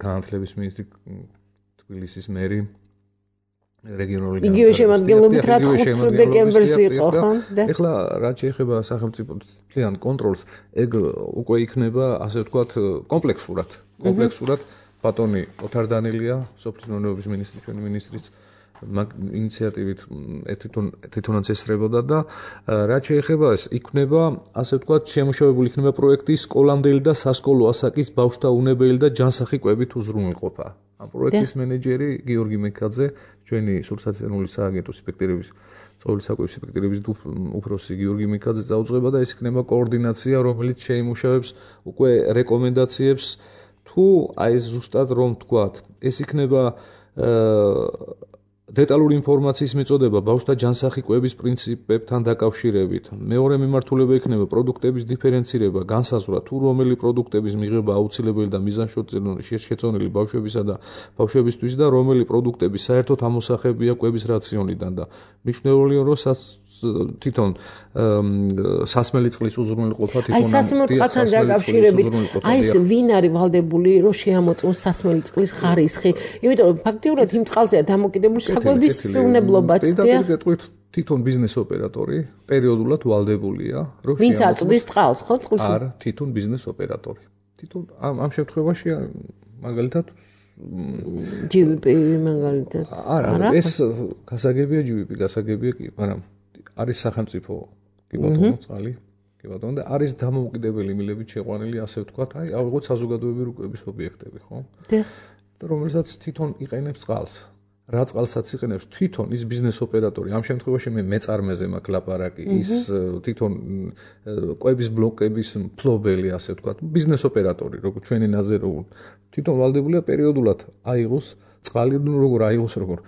D: განათლების მინისტრი, თბილისის მერი, რეგიონული
B: იგივე შემადგენლობით რაც 5 დეკემბერს იყო, ხო?
D: ეხლა რაც შეეხება სახელმწიფოს მთლიან კონტროლს, ეგ უკვე იქნება, ასე ვთქვათ, კომპლექსურად. ბატონი ოთარ დანელია, სოფლის მეურნეობის მინისტრი, ჩვენი მინისტრიც ინიციატივით თვითონაც ესწრებოდა და რაც შეეხება ეს იქნება, ასე ვთქვათ, შემუშავებული იქნება პროექტი სკოლამდელი და სასკოლო ასაკის ბავშვთა უნებელი და ჯანსაღი კვებით უზრუნველყოფა. ამ პროექტის მენეჯერი გიორგი მეკაძე, ჩვენი სურსათის ეროვნული სააგენტოს ინსპექტორების, ცხოველის საკვების ინსპექტორების უფროსი გიორგი მეკაძე წაუწყება და ეს იქნება კოორდინაცია, რომელიც შეიმუშავებს უკვე რეკომენდაციებს თუ აი ეს ზუსტად რომ ვთქვათ, ეს იქნება დეტალური ინფორმაციის მიწოდება ბავშვთა ჯანსაღი კვების პრინციპებთან დაკავშირებით. მეორე მიმართულება იქნება პროდუქტების დიფერენცირება, განსაზღვრა თუ რომელი პროდუქტების მიღება აუცილებელი და მიზანშეწონილი ბავშვებისა და ბავშვებისთვის და რომელი პროდუქტები საერთოდ ამოსახებია კვების რაციონიდან და მნიშვნელოვანია რომ თვითონ სასმელი წყლის უზრუნველყოფა თვითონ
B: აი სასმელი წყალთან დაკავშირებით აი ეს ვინ არის ვალდებული რომ შეამოწმოს სასმელი წყლის ხარისხი, იმიტომ რომ ფაქტიურად იმ წყალზეა დამოკიდებული საკვების უნებლობაც და
D: თვითონ ბიზნეს ოპერატორი პერიოდულად ვალდებულია რომ
B: ვინც აწვდის წყალს ხო წყლში
D: არა თვითონ ბიზნეს ოპერატორი თვითონ ამ შემთხვევაში მაგალითად
B: GVP მაგალითად
D: არა ეს გასაგებია GVP გასაგებია კი მაგრამ არის სახელმწიფო კი ბატონო წყალი კი ბატონო და არის დამოუკიდებელი მილებით შეყვანილი ასე ვთქვათ აი ავიღოთ საზოგადოებრივი კვების ობიექტები ხო და რომელსაც თვითონ იყენებს წყალს რა წყალსაც იყენებს თვითონ ის ბიზნეს ოპერატორი ამ შემთხვევაში მე მეწარმეზე მაქვს ლაპარაკი ის თვითონ კვების ბლოკების მფლობელი ასე ვთქვათ ბიზნეს ოპერატორი როგორც ჩვენი ნაზერო თვითონ ვალდებულია პერიოდულად აიღოს წყალი როგორ აიღოს როგორ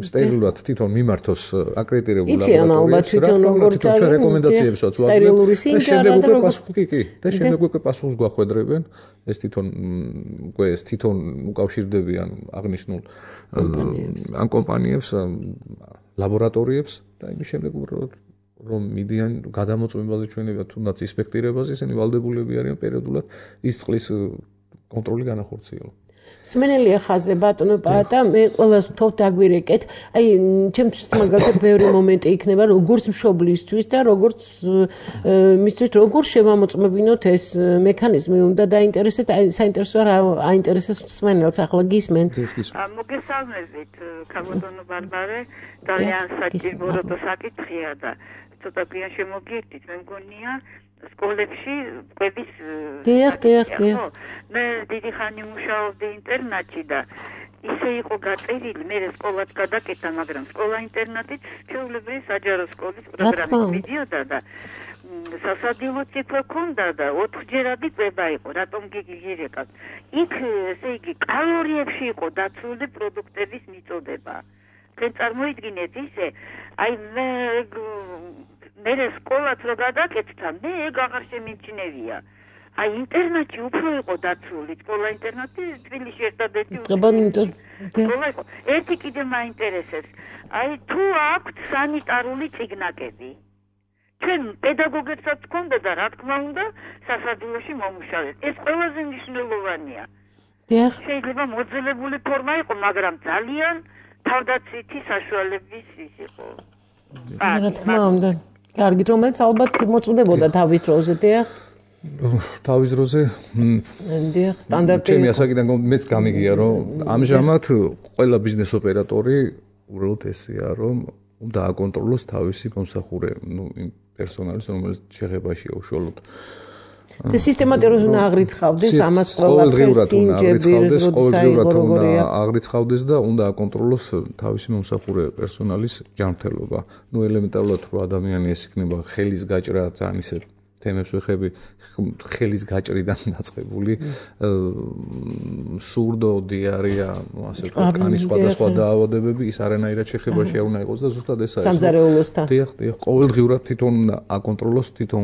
D: სტერილურად თვითონ მიმართოს აკრედიტირებულ
B: ლაბორატორიაში
D: ჩვენ რეკომენდაციებს ვაწვდით და შემდეგ უკვე პასუხს გვახვედრებენ ეს თვითონ უკავშირდებიან აღნიშნულ ამ კომპანიებს ლაბორატორიებს და იმის შემდეგ უბრალოდ რომ მიდიან გადამოწმებაზე ჩვენებია თუნდაც ინსპექტირებაზე ისინი ვალდებულები არიან პერიოდულად ის წყლის კონტროლი განახორციელონ
B: სმენელია ხაზე ბატონო პაატა მე ყველას ვთხოვ დაგვირეკეთ აი ჩემთვის მაგალითად ბევრი მომენტი იქნება როგორც მშობლისთვის და როგორც მისთვის როგორ შევამოწმებინოთ ეს მექანიზმი უნდა დაინტერესეთ აი საინტერესოა რა აინტერესებს სმენელს ახლა გისმენთ
F: მოგესალმებით ქალბატონო ბარბარე ძალიან საჭირო საკითხია და ცოტა პიან შემოგიერთით მე მგონია სკოლებში კვების
B: დიახ
F: მე დიდი ხანი მუშაობდი ინტერნატში და ისე იყო გაწერილი, მე სკოლად გადაკეთა, მაგრამ სკოლა-ინტერნატით ჩვეულებრივი საჯარო სკოლის პროგრამით მიდიოდა და სასადილოც იყო ქონდა და 4ჯერადი კვება იყო, რატომ გიგირეკავთ. იქ ესე იგი კალორიებში იყო დაცული პროდუქტების მიწოდება. თქვენ წარმოიდგინეთ ისე, აი მე სკოლაც რო გადაკეთდა, მე ეგ აღარ შემიჩნევია. აი ინტერნეტი უფრო იყო დაცული, სკოლა-ინტერნატი თბილისში ერთადერთი სკოლა იყო. ერთი კიდე მაინტერესებს. აი თუ აქვთ სანიტარული წიგნაკები. ჩვენ პედაგოგებსაც გქონდა და რა თქმა უნდა სასადილოში მომუშავეს. ეს ყველაზე მნიშვნელოვანია. შეიძლება მოძველებული ფორმა იყო, მაგრამ ძალიან თავდაცვითი საშუალების ის იყო.
B: რა თქმა უნდა. კარგით, რომელიც ალბათ მოწმდებოდა თავის დროზე, დიახ.
D: თავის დროზე
B: სტანდარტი
D: ჩემი ასაკიდან მეც გამიგია რომ ამჟამად ყველა ბიზნეს ოპერატორი უბრალოდ ესეა რომ უნდა აკონტროლოს თავისი მომსახურე იმ პერსონალის რომელიც შეხებაშია უშუალოდ
B: და სისტემატურად უნდა აღრიცხავდეს ამას ყველაფერს ინჯებირს
D: ყოველდღიურად უნდა აღრიცხავდეს და უნდა აკონტროლოს თავისი მომსახურე პერსონალის ჯანმრთელობა. ნუ ელემენტარულად რო ადამიანი ეს იქნება ხელის გაჭრა ძალიან ისე თემებს ვეხები ხელის გაჭრიდან დაწყებული სურდო, დიარეა, ასე ვთქვათ, კანის სხვადასხვა დაავადებები ის არანაირად შეხებაში არ უნდა იყოს და ზუსტად ესაა.
B: სამზარეულოსთან.
D: დიახ, ყოველდღიურად თვითონ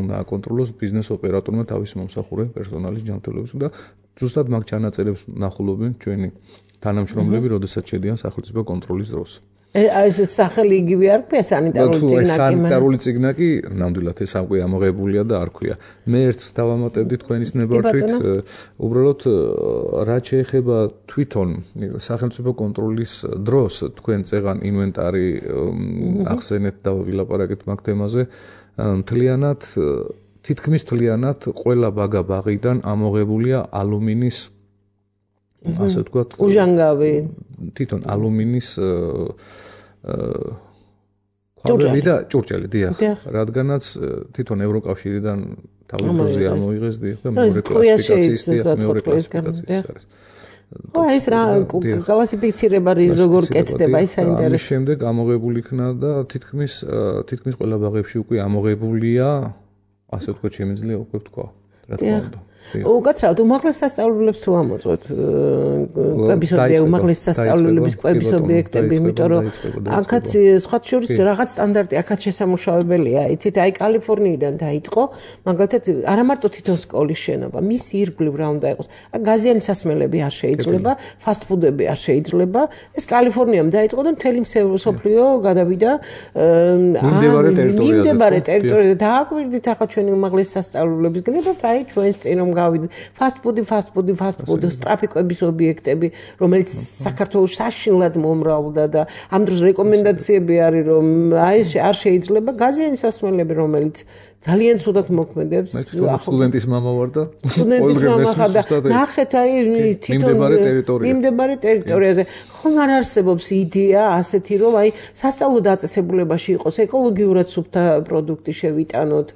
D: უნდა აკონტროლოს ბიზნეს ოპერატორმა თავისი მომსახურე პერსონალის ჯანმრთელობის და ზუსტად მაგ ჩანაწერებს ნახულობენ ჩვენი თანამშრომლები, როდესაც შედიან სახელმწიფო კონტროლის დროს.
B: ეს სახელი იგივე არ ქვია სანიტარული წიგნაკი?
D: სანიტარული წიგნაკი ნამდვილად ეს ამყვი ამოღებულია და არ ქვია. მე ერთს დავამატებდი თქვენის ნებართვით, უბრალოდ რაც შეეხება თვითონ სახელმწიფო კონტროლის დროს თქვენ წეღან ინვენტარი ახსენეთ და ვილაპარაკეთ მაგ თემაზე, თითქმის მთლიანად ყველა ბაგა-ბაღიდან ამოღებულია ალუმინის ასე ვთქვათ,
B: უჟანგავი
D: თვითონ ალუმინის ქვაბები და ჭურჭელი, დიახ, რადგანაც თვითონ ევროკავშირიდან თავის დროზე ამოიღეს და მეორე კლასიფიკაციის არის.
B: ხო, ეს რა კლასიფიცირება როგორ კეთდება, ის საინტერესოა.
D: ამის შემდეგ ამოღებული იქნა და თითქმის ყველა ბაღებში უკვე ამოღებულია, ასე ვთქვათ, შემიძლია უკვე ვთქვა, რა თქმა უნდა.
B: უკაცრავად უმაღლეს სასწავლებლებს თუ ამოწყვეთ უმაღლეს სასწავლებლების კვების ობიექტები, იმიტომ რომ აქაც სხვა შორის რაღაც სტანდარტი აქაც შესამუშავებელია. იცით, აი კალიფორნიიდან დაიწყო, მაგალითად, არა მარტო თვითონ სკოლის შენობა, მის ირგვლივ რა უნდა იყოს. გაზიანი სასმელები არ შეიძლება, ფასტფუდები არ შეიძლება. ეს კალიფორნიამ დაიწყო და მთელი მსოფლიო გადავიდა მიმდებარე ტერიტორიაზე. დააკვირდით ახლა ჩვენი უმაღლეს სასწავლებლების გნებობთ, აი ჩვენს წინ რომ გავიდეთ ფასტფუდი, სწრაფი კვების ობიექტები, რომელიც საქართველოს საშინლად მომრავლდა და ამ დროს რეკომენდაციები არის, რომ აი ეს არ შეიძლება გაზიანი სასმელები, რომელიც ძალიან ცუდად მოქმედებს.
D: სტუდენტის მამა ვარ და
B: სტუდენტის მამა ხარ და ნახეთ აი თვითონ მიმდებარე ტერიტორიაზე ხომ არ არსებობს იდეა ასეთი, რომ აი სასწავლო დაწესებულებაში იყოს ეკოლოგიურად სუფთა პროდუქტი შევიტანოთ,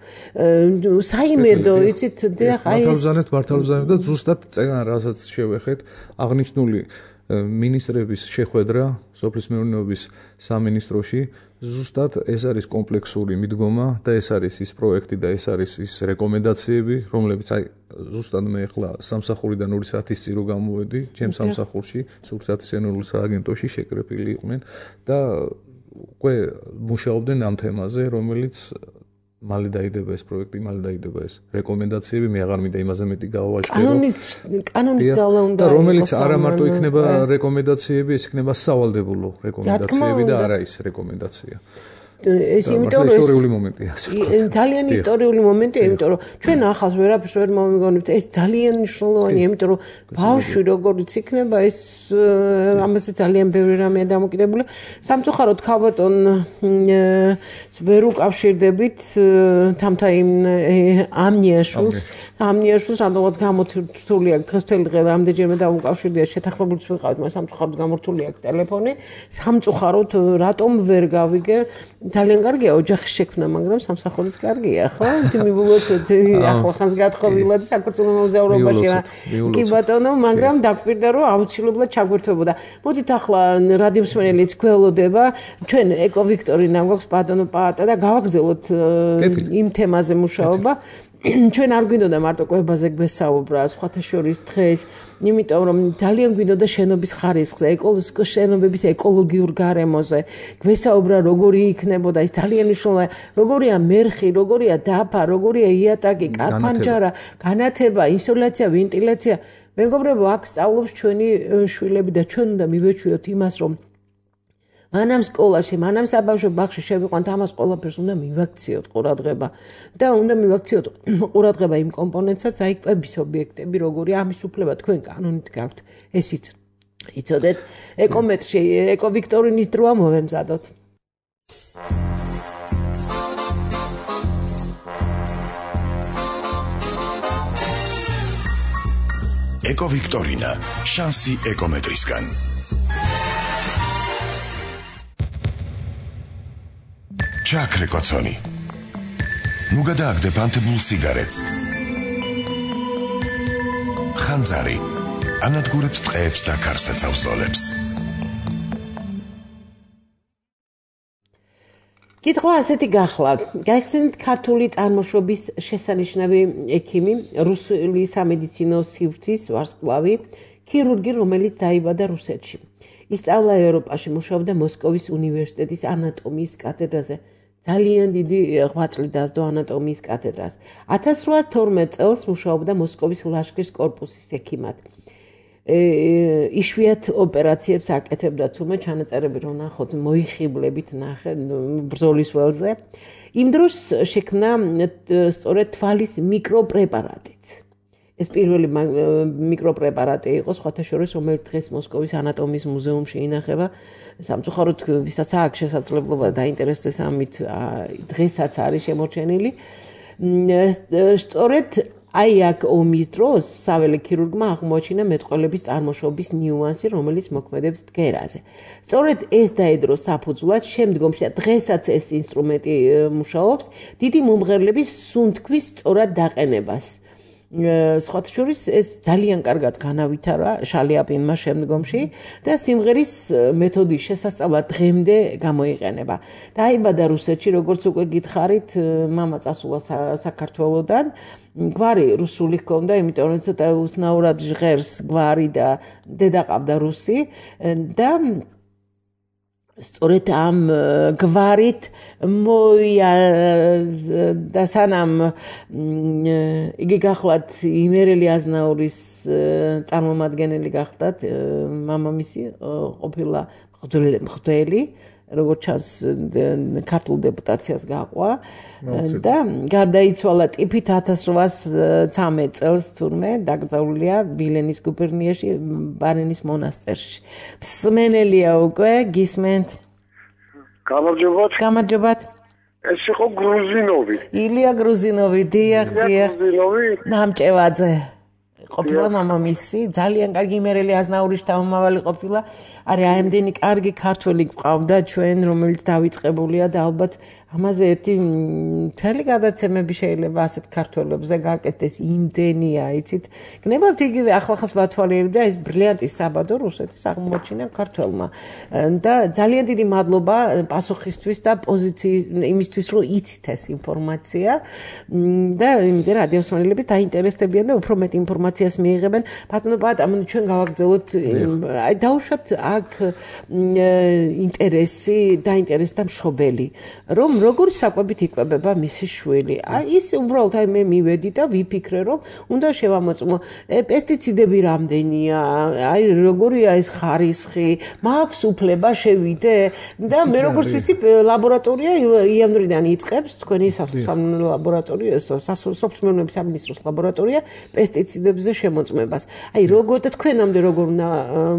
B: საიმედო, იცით, დიახ, აი
D: ეს მართალბზანებ და ზუსტად წეგან რასაც შევეხეთ, აღნიშნული მინისტრების შეხვედრა სოფლის მეურნეობის სამინისტროში, ზუსტად ეს არის კომპლექსური მიდგომა და ეს არის ის პროექტი და ეს არის ის რეკომენდაციები, რომლებიც აი ზუსტად მე ახლა სამსახურიდან 2 საათის წინ რო გამოვედი, ჩემ სამსახურში, სურსათის ენერგიულ სააგენტოში შეკრებილი იყვნენ და უკვე მუშაობდნენ ამ თემაზე, რომელიც მალე დაიდება ეს პროექტი, მალე დაიდება ეს რეკომენდაციები, მე აღარ მინდა იმაზე მეტი გავავაჟღერო.
B: კანონის ძალა უნდა
D: იყოს. რომელიც არა მარტო იქნება რეკომენდაციები, ეს იქნება სავალდებულო რეკომენდაციები და არა ის რეკომენდაცია.
B: ეს იმიტომ რომ
D: ისტორიული მომენტია.
B: ძალიან ისტორიული მომენტია, იმიტომ რომ ჩვენ ახალს ვერაფერს ვერ მომიგონებთ, ეს ძალიან მნიშვნელოვანია, იმიტომ რომ ბავშვი როგორიც იქნება, ეს ამაზე ძალიან ბევრი რამეა დამოკიდებული. სამწუხაროდ ქალბატონ ვერ უკავშირდებით თამთაიმ ამნიაშვილს, რამოდენად გამოთვლილი აქვს დღესდღეობით დღე რამდენჯერმე დაუკავშირდია შეთანხმებულიც ვიყავით, მაგრამ სამწუხაროდ გამორთული აქვს ტელეფონი. სამწუხაროდ რატომ ვერ გავიგე ძალიან კარგია ოჯახის შექმნა, მაგრამ სამსახურიც კარგია, ხო? მივულოცეთ ახლახანს გათხოვილად საქართველოს მოგზაურობაში. კი ბატონო, მაგრამ დაგვირდა რომ აუცილებლად ჩაგვერთვებოდა. მოდით ახლა რადიო მსმენელიც გველოდება, ჩვენ ეკოვიქტორინა გვაქვს ბატონო პაატა და გავაგრძელოთ იმ თემაზე მუშაობა. ჩვენ არ გვინდოდა მარტო კვებაზე გვესაუბრა, სხვათა შორის დღეს, იმიტომ რომ ძალიან გვინდოდა შენობის ხარისხზე, შენობების ეკოლოგიურ გარემოზე, გვესაუბრა როგორი იქნებოდა ის ძალიან მნიშვნელოვანია, როგორია მერხი, როგორია დაფა, როგორია იატაკი, კარ-ფანჯარა, განათება, ინსოლაცია, ვენტილაცია. მეგობრებო, აქ სწავლობს ჩვენი შვილები და ჩვენ უნდა მივეჩვიოთ იმას, რომ მანამ სკოლაში, მანამ საბავშვო ბაღში შევიყვანთ, ამას ყველაფერს უნდა მივაქციოთ ყურადღება და უნდა მივაქციოთ ყურადღება იმ კომპონენტსაც, აი კვების ობიექტები, როგორი ამის უფლება თქვენ კანონით გაქვთ. ესიც იცოდეთ, ეკომეტრში, ეკოვიქტორინის დროა მოვემზადოთ.
A: ეკოვიქტორინა, შანსი ეკომეტრისგან. ჩაქრე კოცონი. ნუ გადააგდებ ანთებულ სიგარეტს. ხანძარი ანადგურებს ტყეებს და გარსაცავსოლებს.
B: კითხვა ასეთი გახლავთ. გაიხსენეთ ქართული წარმოშობის შესანიშნავი ექიმი, რუსული სამედიცინო სივრცის ვარსკვლავი, ქირურგი, რომელიც დაიბადა რუსეთში. ისწავლა ევროპაში, მუშაობდა მოსკოვის უნივერსიტეტის ანატომიის კათედრაზე. ძალიან დიდი ღვაწლი დასდო ანატომიის კათედრას. 1812 წელს მუშაობდა მოსკოვის ლაშქრის კორპუსის ექიმად. იშვიათ ოპერაციებს აკეთებდა, თუმცა ჩანაწერები რომ ნახოთ, მოიხიბლებით ნახე ბრძოლის ველზე. იმ დროს შექმნა სწორედ თვალის მიკროპრეპარატით. ეს პირველი მიკროპრეპარატი იყო, სხვათა შორის, რომელიც დღეს მოსკოვის ანატომიის მუზეუმში ინახება. სამწუხაროდ, ვისაც აქვს შესაძლებლობა დაინტერესდეს ამით, დღესაც არის შემორჩენილი. სწორედ აი აქ ომის დროს საველე ქირურგმა აღმოაჩინა მეტყველების წარმოშობის ნიუანსი, რომელიც მოქმედებს ბგერაზე. სწორედ ეს დაედრო საფუძვლად შემდგომში და დღესაც ეს ინსტრუმენტი მუშაობს, დიდი მომღერლების სუნთქვის სწორად დაყენებას. სხვათა შორის ეს ძალიან კარგად განავითარა შალიაპინმა შემდგომში და სიმღერის მეთოდის შესასწავლად დღემდე გამოიყენება. დაიბადა რუსეთში, როგორც უკვე გითხარით, მამა წასულა საქართველოდან. გვარი რუსული ჰქონდა, იმიტომ რომ ცოტა უცნაურად ჟღერს გვარი და დედა ყავდა რუსი და სწორედ ამ გვარით და სანამ იგი გახლავთ იმერელი აზნაურის წარმომადგენელი გახლავთ, მამამისი ყოფილა მღვდელი, როგორც ჩანს ქართულ დეპუტაციას გაყვა და გარდაიცვალა ტიფით 1813 წელს თურმე დაკრძალულია ვილენის გუბერნიაში ბარენის მონასტერში. მსმენელია უკვე, გისმენთ? გამარჯობათ.
G: ეს იყო გრუზინოვი.
B: ილია გრუზინოვი, დიახ. ნამჭევაძე. ყოფილა მამამისი, ძალიან კარგი იმერელი აზნაურის შთამომავალი ყოფილა. არის ამდენი კარგი ქართველი გვყავდა ჩვენ, რომელიც დავიწყებულია და ალბათ ამაზე ერთი მთელი გადაცემები შეიძლება ასეთ ქართველებზე გაკეთდეს, იმდენია, იცით. გნებავთ იგივე ახლახანს ვათვალიერებდა ეს ბრილიანტი საბადო რუსეთის აღმოჩინა ქართველმა. და ძალიან დიდი მადლობა პასუხისთვის და იმისთვის, რომ იცით ეს ინფორმაცია და იმედია რადიო მსმენელები დაინტერესდებიან და უფრო მეტ ინფორმაციას მიიღებენ. ბატონო პაატა, ჩვენ გავაგრძელოთ, აი დავუშვათ აქ ინტერესი, დაინტერესდა მშობელი, რომ როგორი საკვებით იკვებება მისი შვილი. აი ის უბრალოდ აი მე მივედი და ვიფიქრე, რომ უნდა შევამოწმო. პესტიციდები რამდენია, აი როგორია ეს ხარისხი, მაქვს უფლება შევიდე და მე როგორც ვიცი, ლაბორატორია იანვრიდან იწყებს თქვენი ლაბორატორია, სოფლმეურნეობის სამინისტროს ლაბორატორია პესტიციდებზე შემოწმებას. აი თქვენამდე როგორ უნდა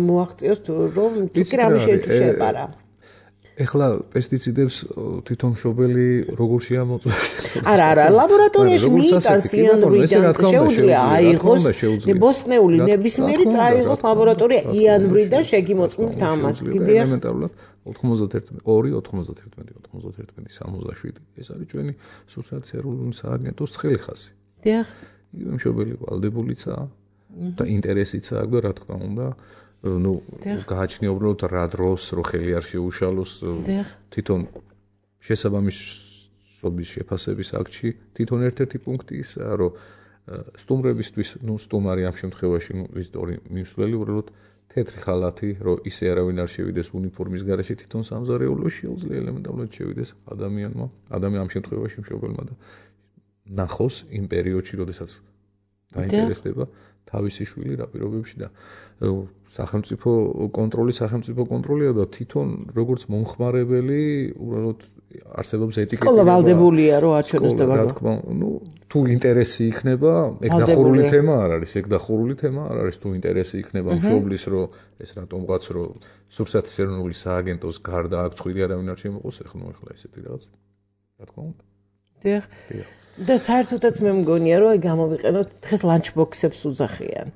B: მოაღწიოს, რომ თუ კი რამე შეეპარა.
D: ეხლა პესტიციდებს თვითონ მშობელი როგორ შეამოწმებს?
B: არა, ლაბორატორიაში მიიტანს იანვრიდან შეუძლია აიღოს ბოსტნეული ნებისმიერი წაიღოს ლაბორატორია იანვრიდან შეგიმოწმებთ ამას.
D: კიდევ ელემენტარულად 91-91-97 ეს არის ჩვენი სურსათის ეროვნული სააგენტოს ცხელი ხაზი.
B: დიახ.
D: იგივე მშობელი ვალდებულიცაა და ინტერესიცაა და რა თქმა უნდა გააჩნია უბრალოდ რა დროს რო ხელი არ შეუშალოს თვითონ შესაბამისობის შეფასების აქტში თვითონ ერთ-ერთი პუნქტი ისაა რომ სტუმრებისთვის სტუმარი ამ შემთხვევაში ისტორი მიმსვლელი უბრალოდ თეთრი ხალათი რომ ისე არავინ არ შევიდეს უნიფორმის გარეშე თვითონ სამზარეულოში შეუძლია ელემენტარულად შევიდეს ადამიანმა ამ შემთხვევაში მშობელმა და ნახოს იმ პერიოდში როდესაც დაინტერესდება თავისი შვილი რა პირობებში და სახელმწიფო კონტროლია და თვითონ როგორც მომხმარებელი უბრალოდ არსებობს ეტიკეტი.
B: სკოლა ვალდებულია რომ არჩევნოს და
D: რა თქმა უნდა, თუ ინტერესი იქნება, ეგ დახურული თემა არ არის, თუ ინტერესი იქნება მშობლის რომ ეს რატომღაც რომ სურსათის ეროვნული სააგენტოს გარდა აქ წვირი არავინ არ შემოყოს, ეხლა ესეთი რაღაც. რა თქმა უნდა.
B: დიახ. და საერთოდაც მე მგონია რომ გამოვიყენოთ დღეს ლანჩბოქსებს უძახიან.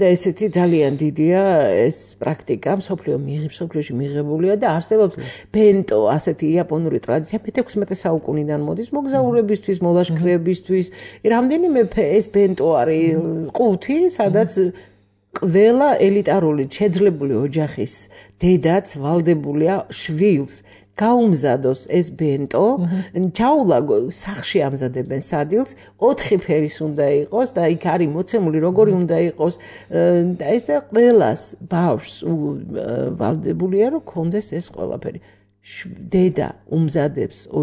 B: და ესეთი ძალიან დიდია ეს პრაქტიკა მსოფლიოში მიღებულია და არსებობს ბენტო, ასეთი იაპონური ტრადიცია მე-16 საუკუნიდან მოდის მოგზაურებისთვის, მოლაშქრეებისთვის. რამდენიმე ეს ბენტო არის ყუთი, სადაც ყველა ელიტარული შეძლებული ოჯახის დედაც ვალდებულია შვილს გაუმზადოს ეს ბენტო, ჩაულაგო სახში ამზადებენ სადილს, 4 ფერის უნდა იყოს და იქ არის მოცემული როგორი უნდა იყოს და ეს ყველას ბავშვს ვალდებულია რომ კონდეს ეს ყველაფერი. დედა უმზადებს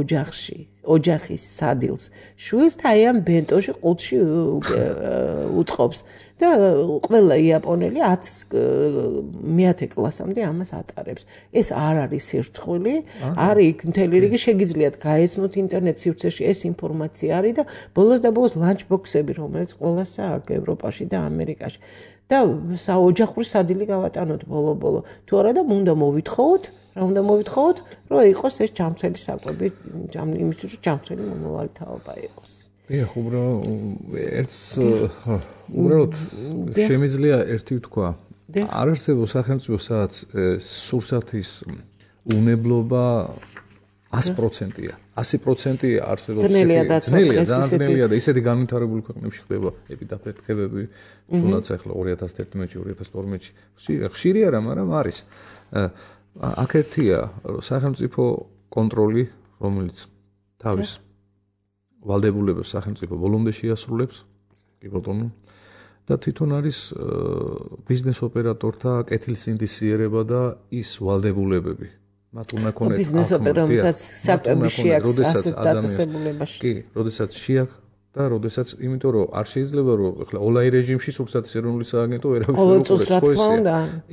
B: ოჯახის სადილს შვილს და აი ამ ბენტოში ყუთში უწყობს და ყველა იაპონელი 10 კლასამდე ამას ატარებს. ეს არ არის სირცხვილი, არის მთელი რიგი შეგიძლიათ გაეცნოთ ინტერნეტ სივრცეში ეს ინფორმაცია არის და ბოლოს ლანჩბოქსები, რომელიც ყველას აქვს ევროპაში და ამერიკაში. და საოჯახური სადილი გავატანოთ ბოლო. თუ არა და უნდა მოვითხოვოთ, რომ იყოს ეს ჯამთველი საკვები, იმისთვის რომ ჯამთველი მომავალი თაობა იყოს.
D: ეხ უბრალოდ შემიძლია ერთი ვთქვა. არ არსებობს სახელმწიფო სადაც სურსათის უნებლობა 100%-ია. 100% არსებობს ძნელია და ისეთი განვითარებული ქვეყნებში ხდება ეპიდაფეთქებები, თუნდაც ახლა 2011-2012-ში ხშირი არა, მაგრამ არის. აქ ერთია სახელმწიფო კონტროლი, რომელიც თავის ვალდებულებებს სახელმწიფო ბოლომდე შეასრულებს, კი ბატონო, და თვითონ არის ბიზნეს ოპერატორთა კეთილსინდისიერება და ის ვალდებულებები. მათ უნდა ქონდეს
B: ბიზნეს ოპერატორებსაც საკვები შეაქვს ასეთ დაწესებულებაში.
D: კი, როდესაც შეაქვს და როდესაც, იმიტომ რომ არ შეიძლება რომ ახლა ონლაინ რეჟიმში სურსათის ეროვნული სააგენტო ვერავის ვერ უყურებს.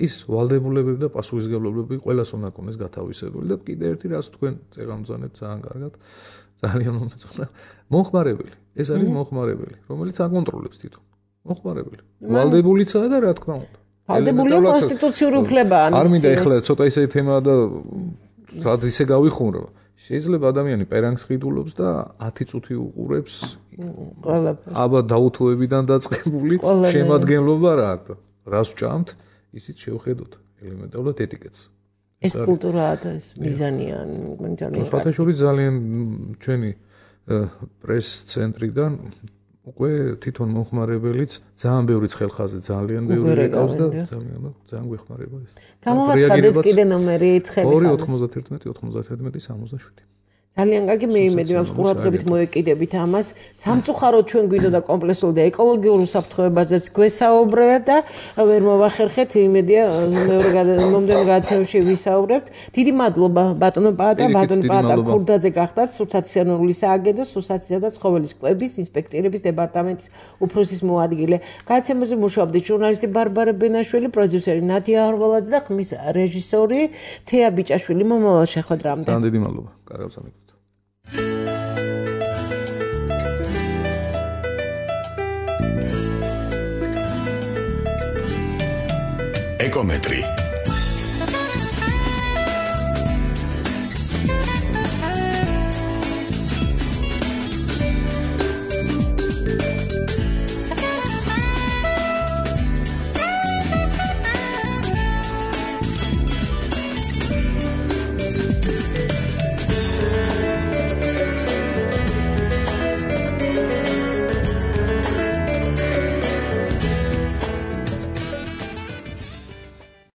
D: ის ვალდებულებები და პასუხისმგებლობები ყველას უნდა ქონდეს გათავისებული და კიდე ერთი რაც თქვენ წეღამძანებთ ძალიან კარგად. ძალიან მომეწონა. მომხმარებელი. ეს არის მომხმარებელი, რომელიც აკონტროლებს თვითონ. მომხმარებელი. ვალდებულიცაა და რა თქმა უნდა.
B: ვალდებულია კონსტიტუციური უფლებაა.
D: არ მინდა ეხლა ცოტა ისეთი თემაა და რად ისე გავიხმურო. შეიძლება ადამიანი პერანგს ყიდულობს და 10 წუთი უყურებს
B: ყველაფერს.
D: აბა დაუთოებიდან დაწყებული შემადგენლობა რა აქვს. რას ვჭამთ, ისიც შევხედოთ ელემენტარულად ეტიკეტს.
B: ეს კულტურაა და ეს მიზანია, ძალიან.
D: ფათაშორის ძალიან ჩვენი პრეს ცენტრიდან უკვე თვითონ მომხმარებელიც ძალიან ბევრი ცხელხაზი ძალიან ბევრი ეკავს და ძალიან გვეხმარება ეს.
B: გამოვაცხადეთ კიდე ნომერი ცხელხაზი
D: 291-91-67.
B: ძალიან კარგი, მე იმედი მაქვს ყურადღებით მოეკიდებით ამას. სამწუხაროდ ჩვენ გვინდოდა კომპლექსური და ეკოლოგიურ უსაფრთხოებაზეც გვესაუბრეთ და ვერ მოვახერხეთ, იმედია მომდევნო გადაცემებში ვისაუბრებთ. დიდი მადლობა ბატონო პაატა ქურდაძე გახდათ სურსათის ეროვნული სააგენტოს სურსათისა და ცხოველის კვების ინსპექტირების დეპარტამენტის უფროსის მოადგილე. გადაცემაზე მუშაობდნენ ჟურნალისტი ბარბარა ბენაშვილი, პროდიუსერი ნადია არღოლაძე და ხმის რეჟისორი თეა ბიჭაშვილი. მომავალ შეხვედრამდე.
D: ძალიან დიდი მადლობა. კარგავსამეფო.
A: ეკომეტრი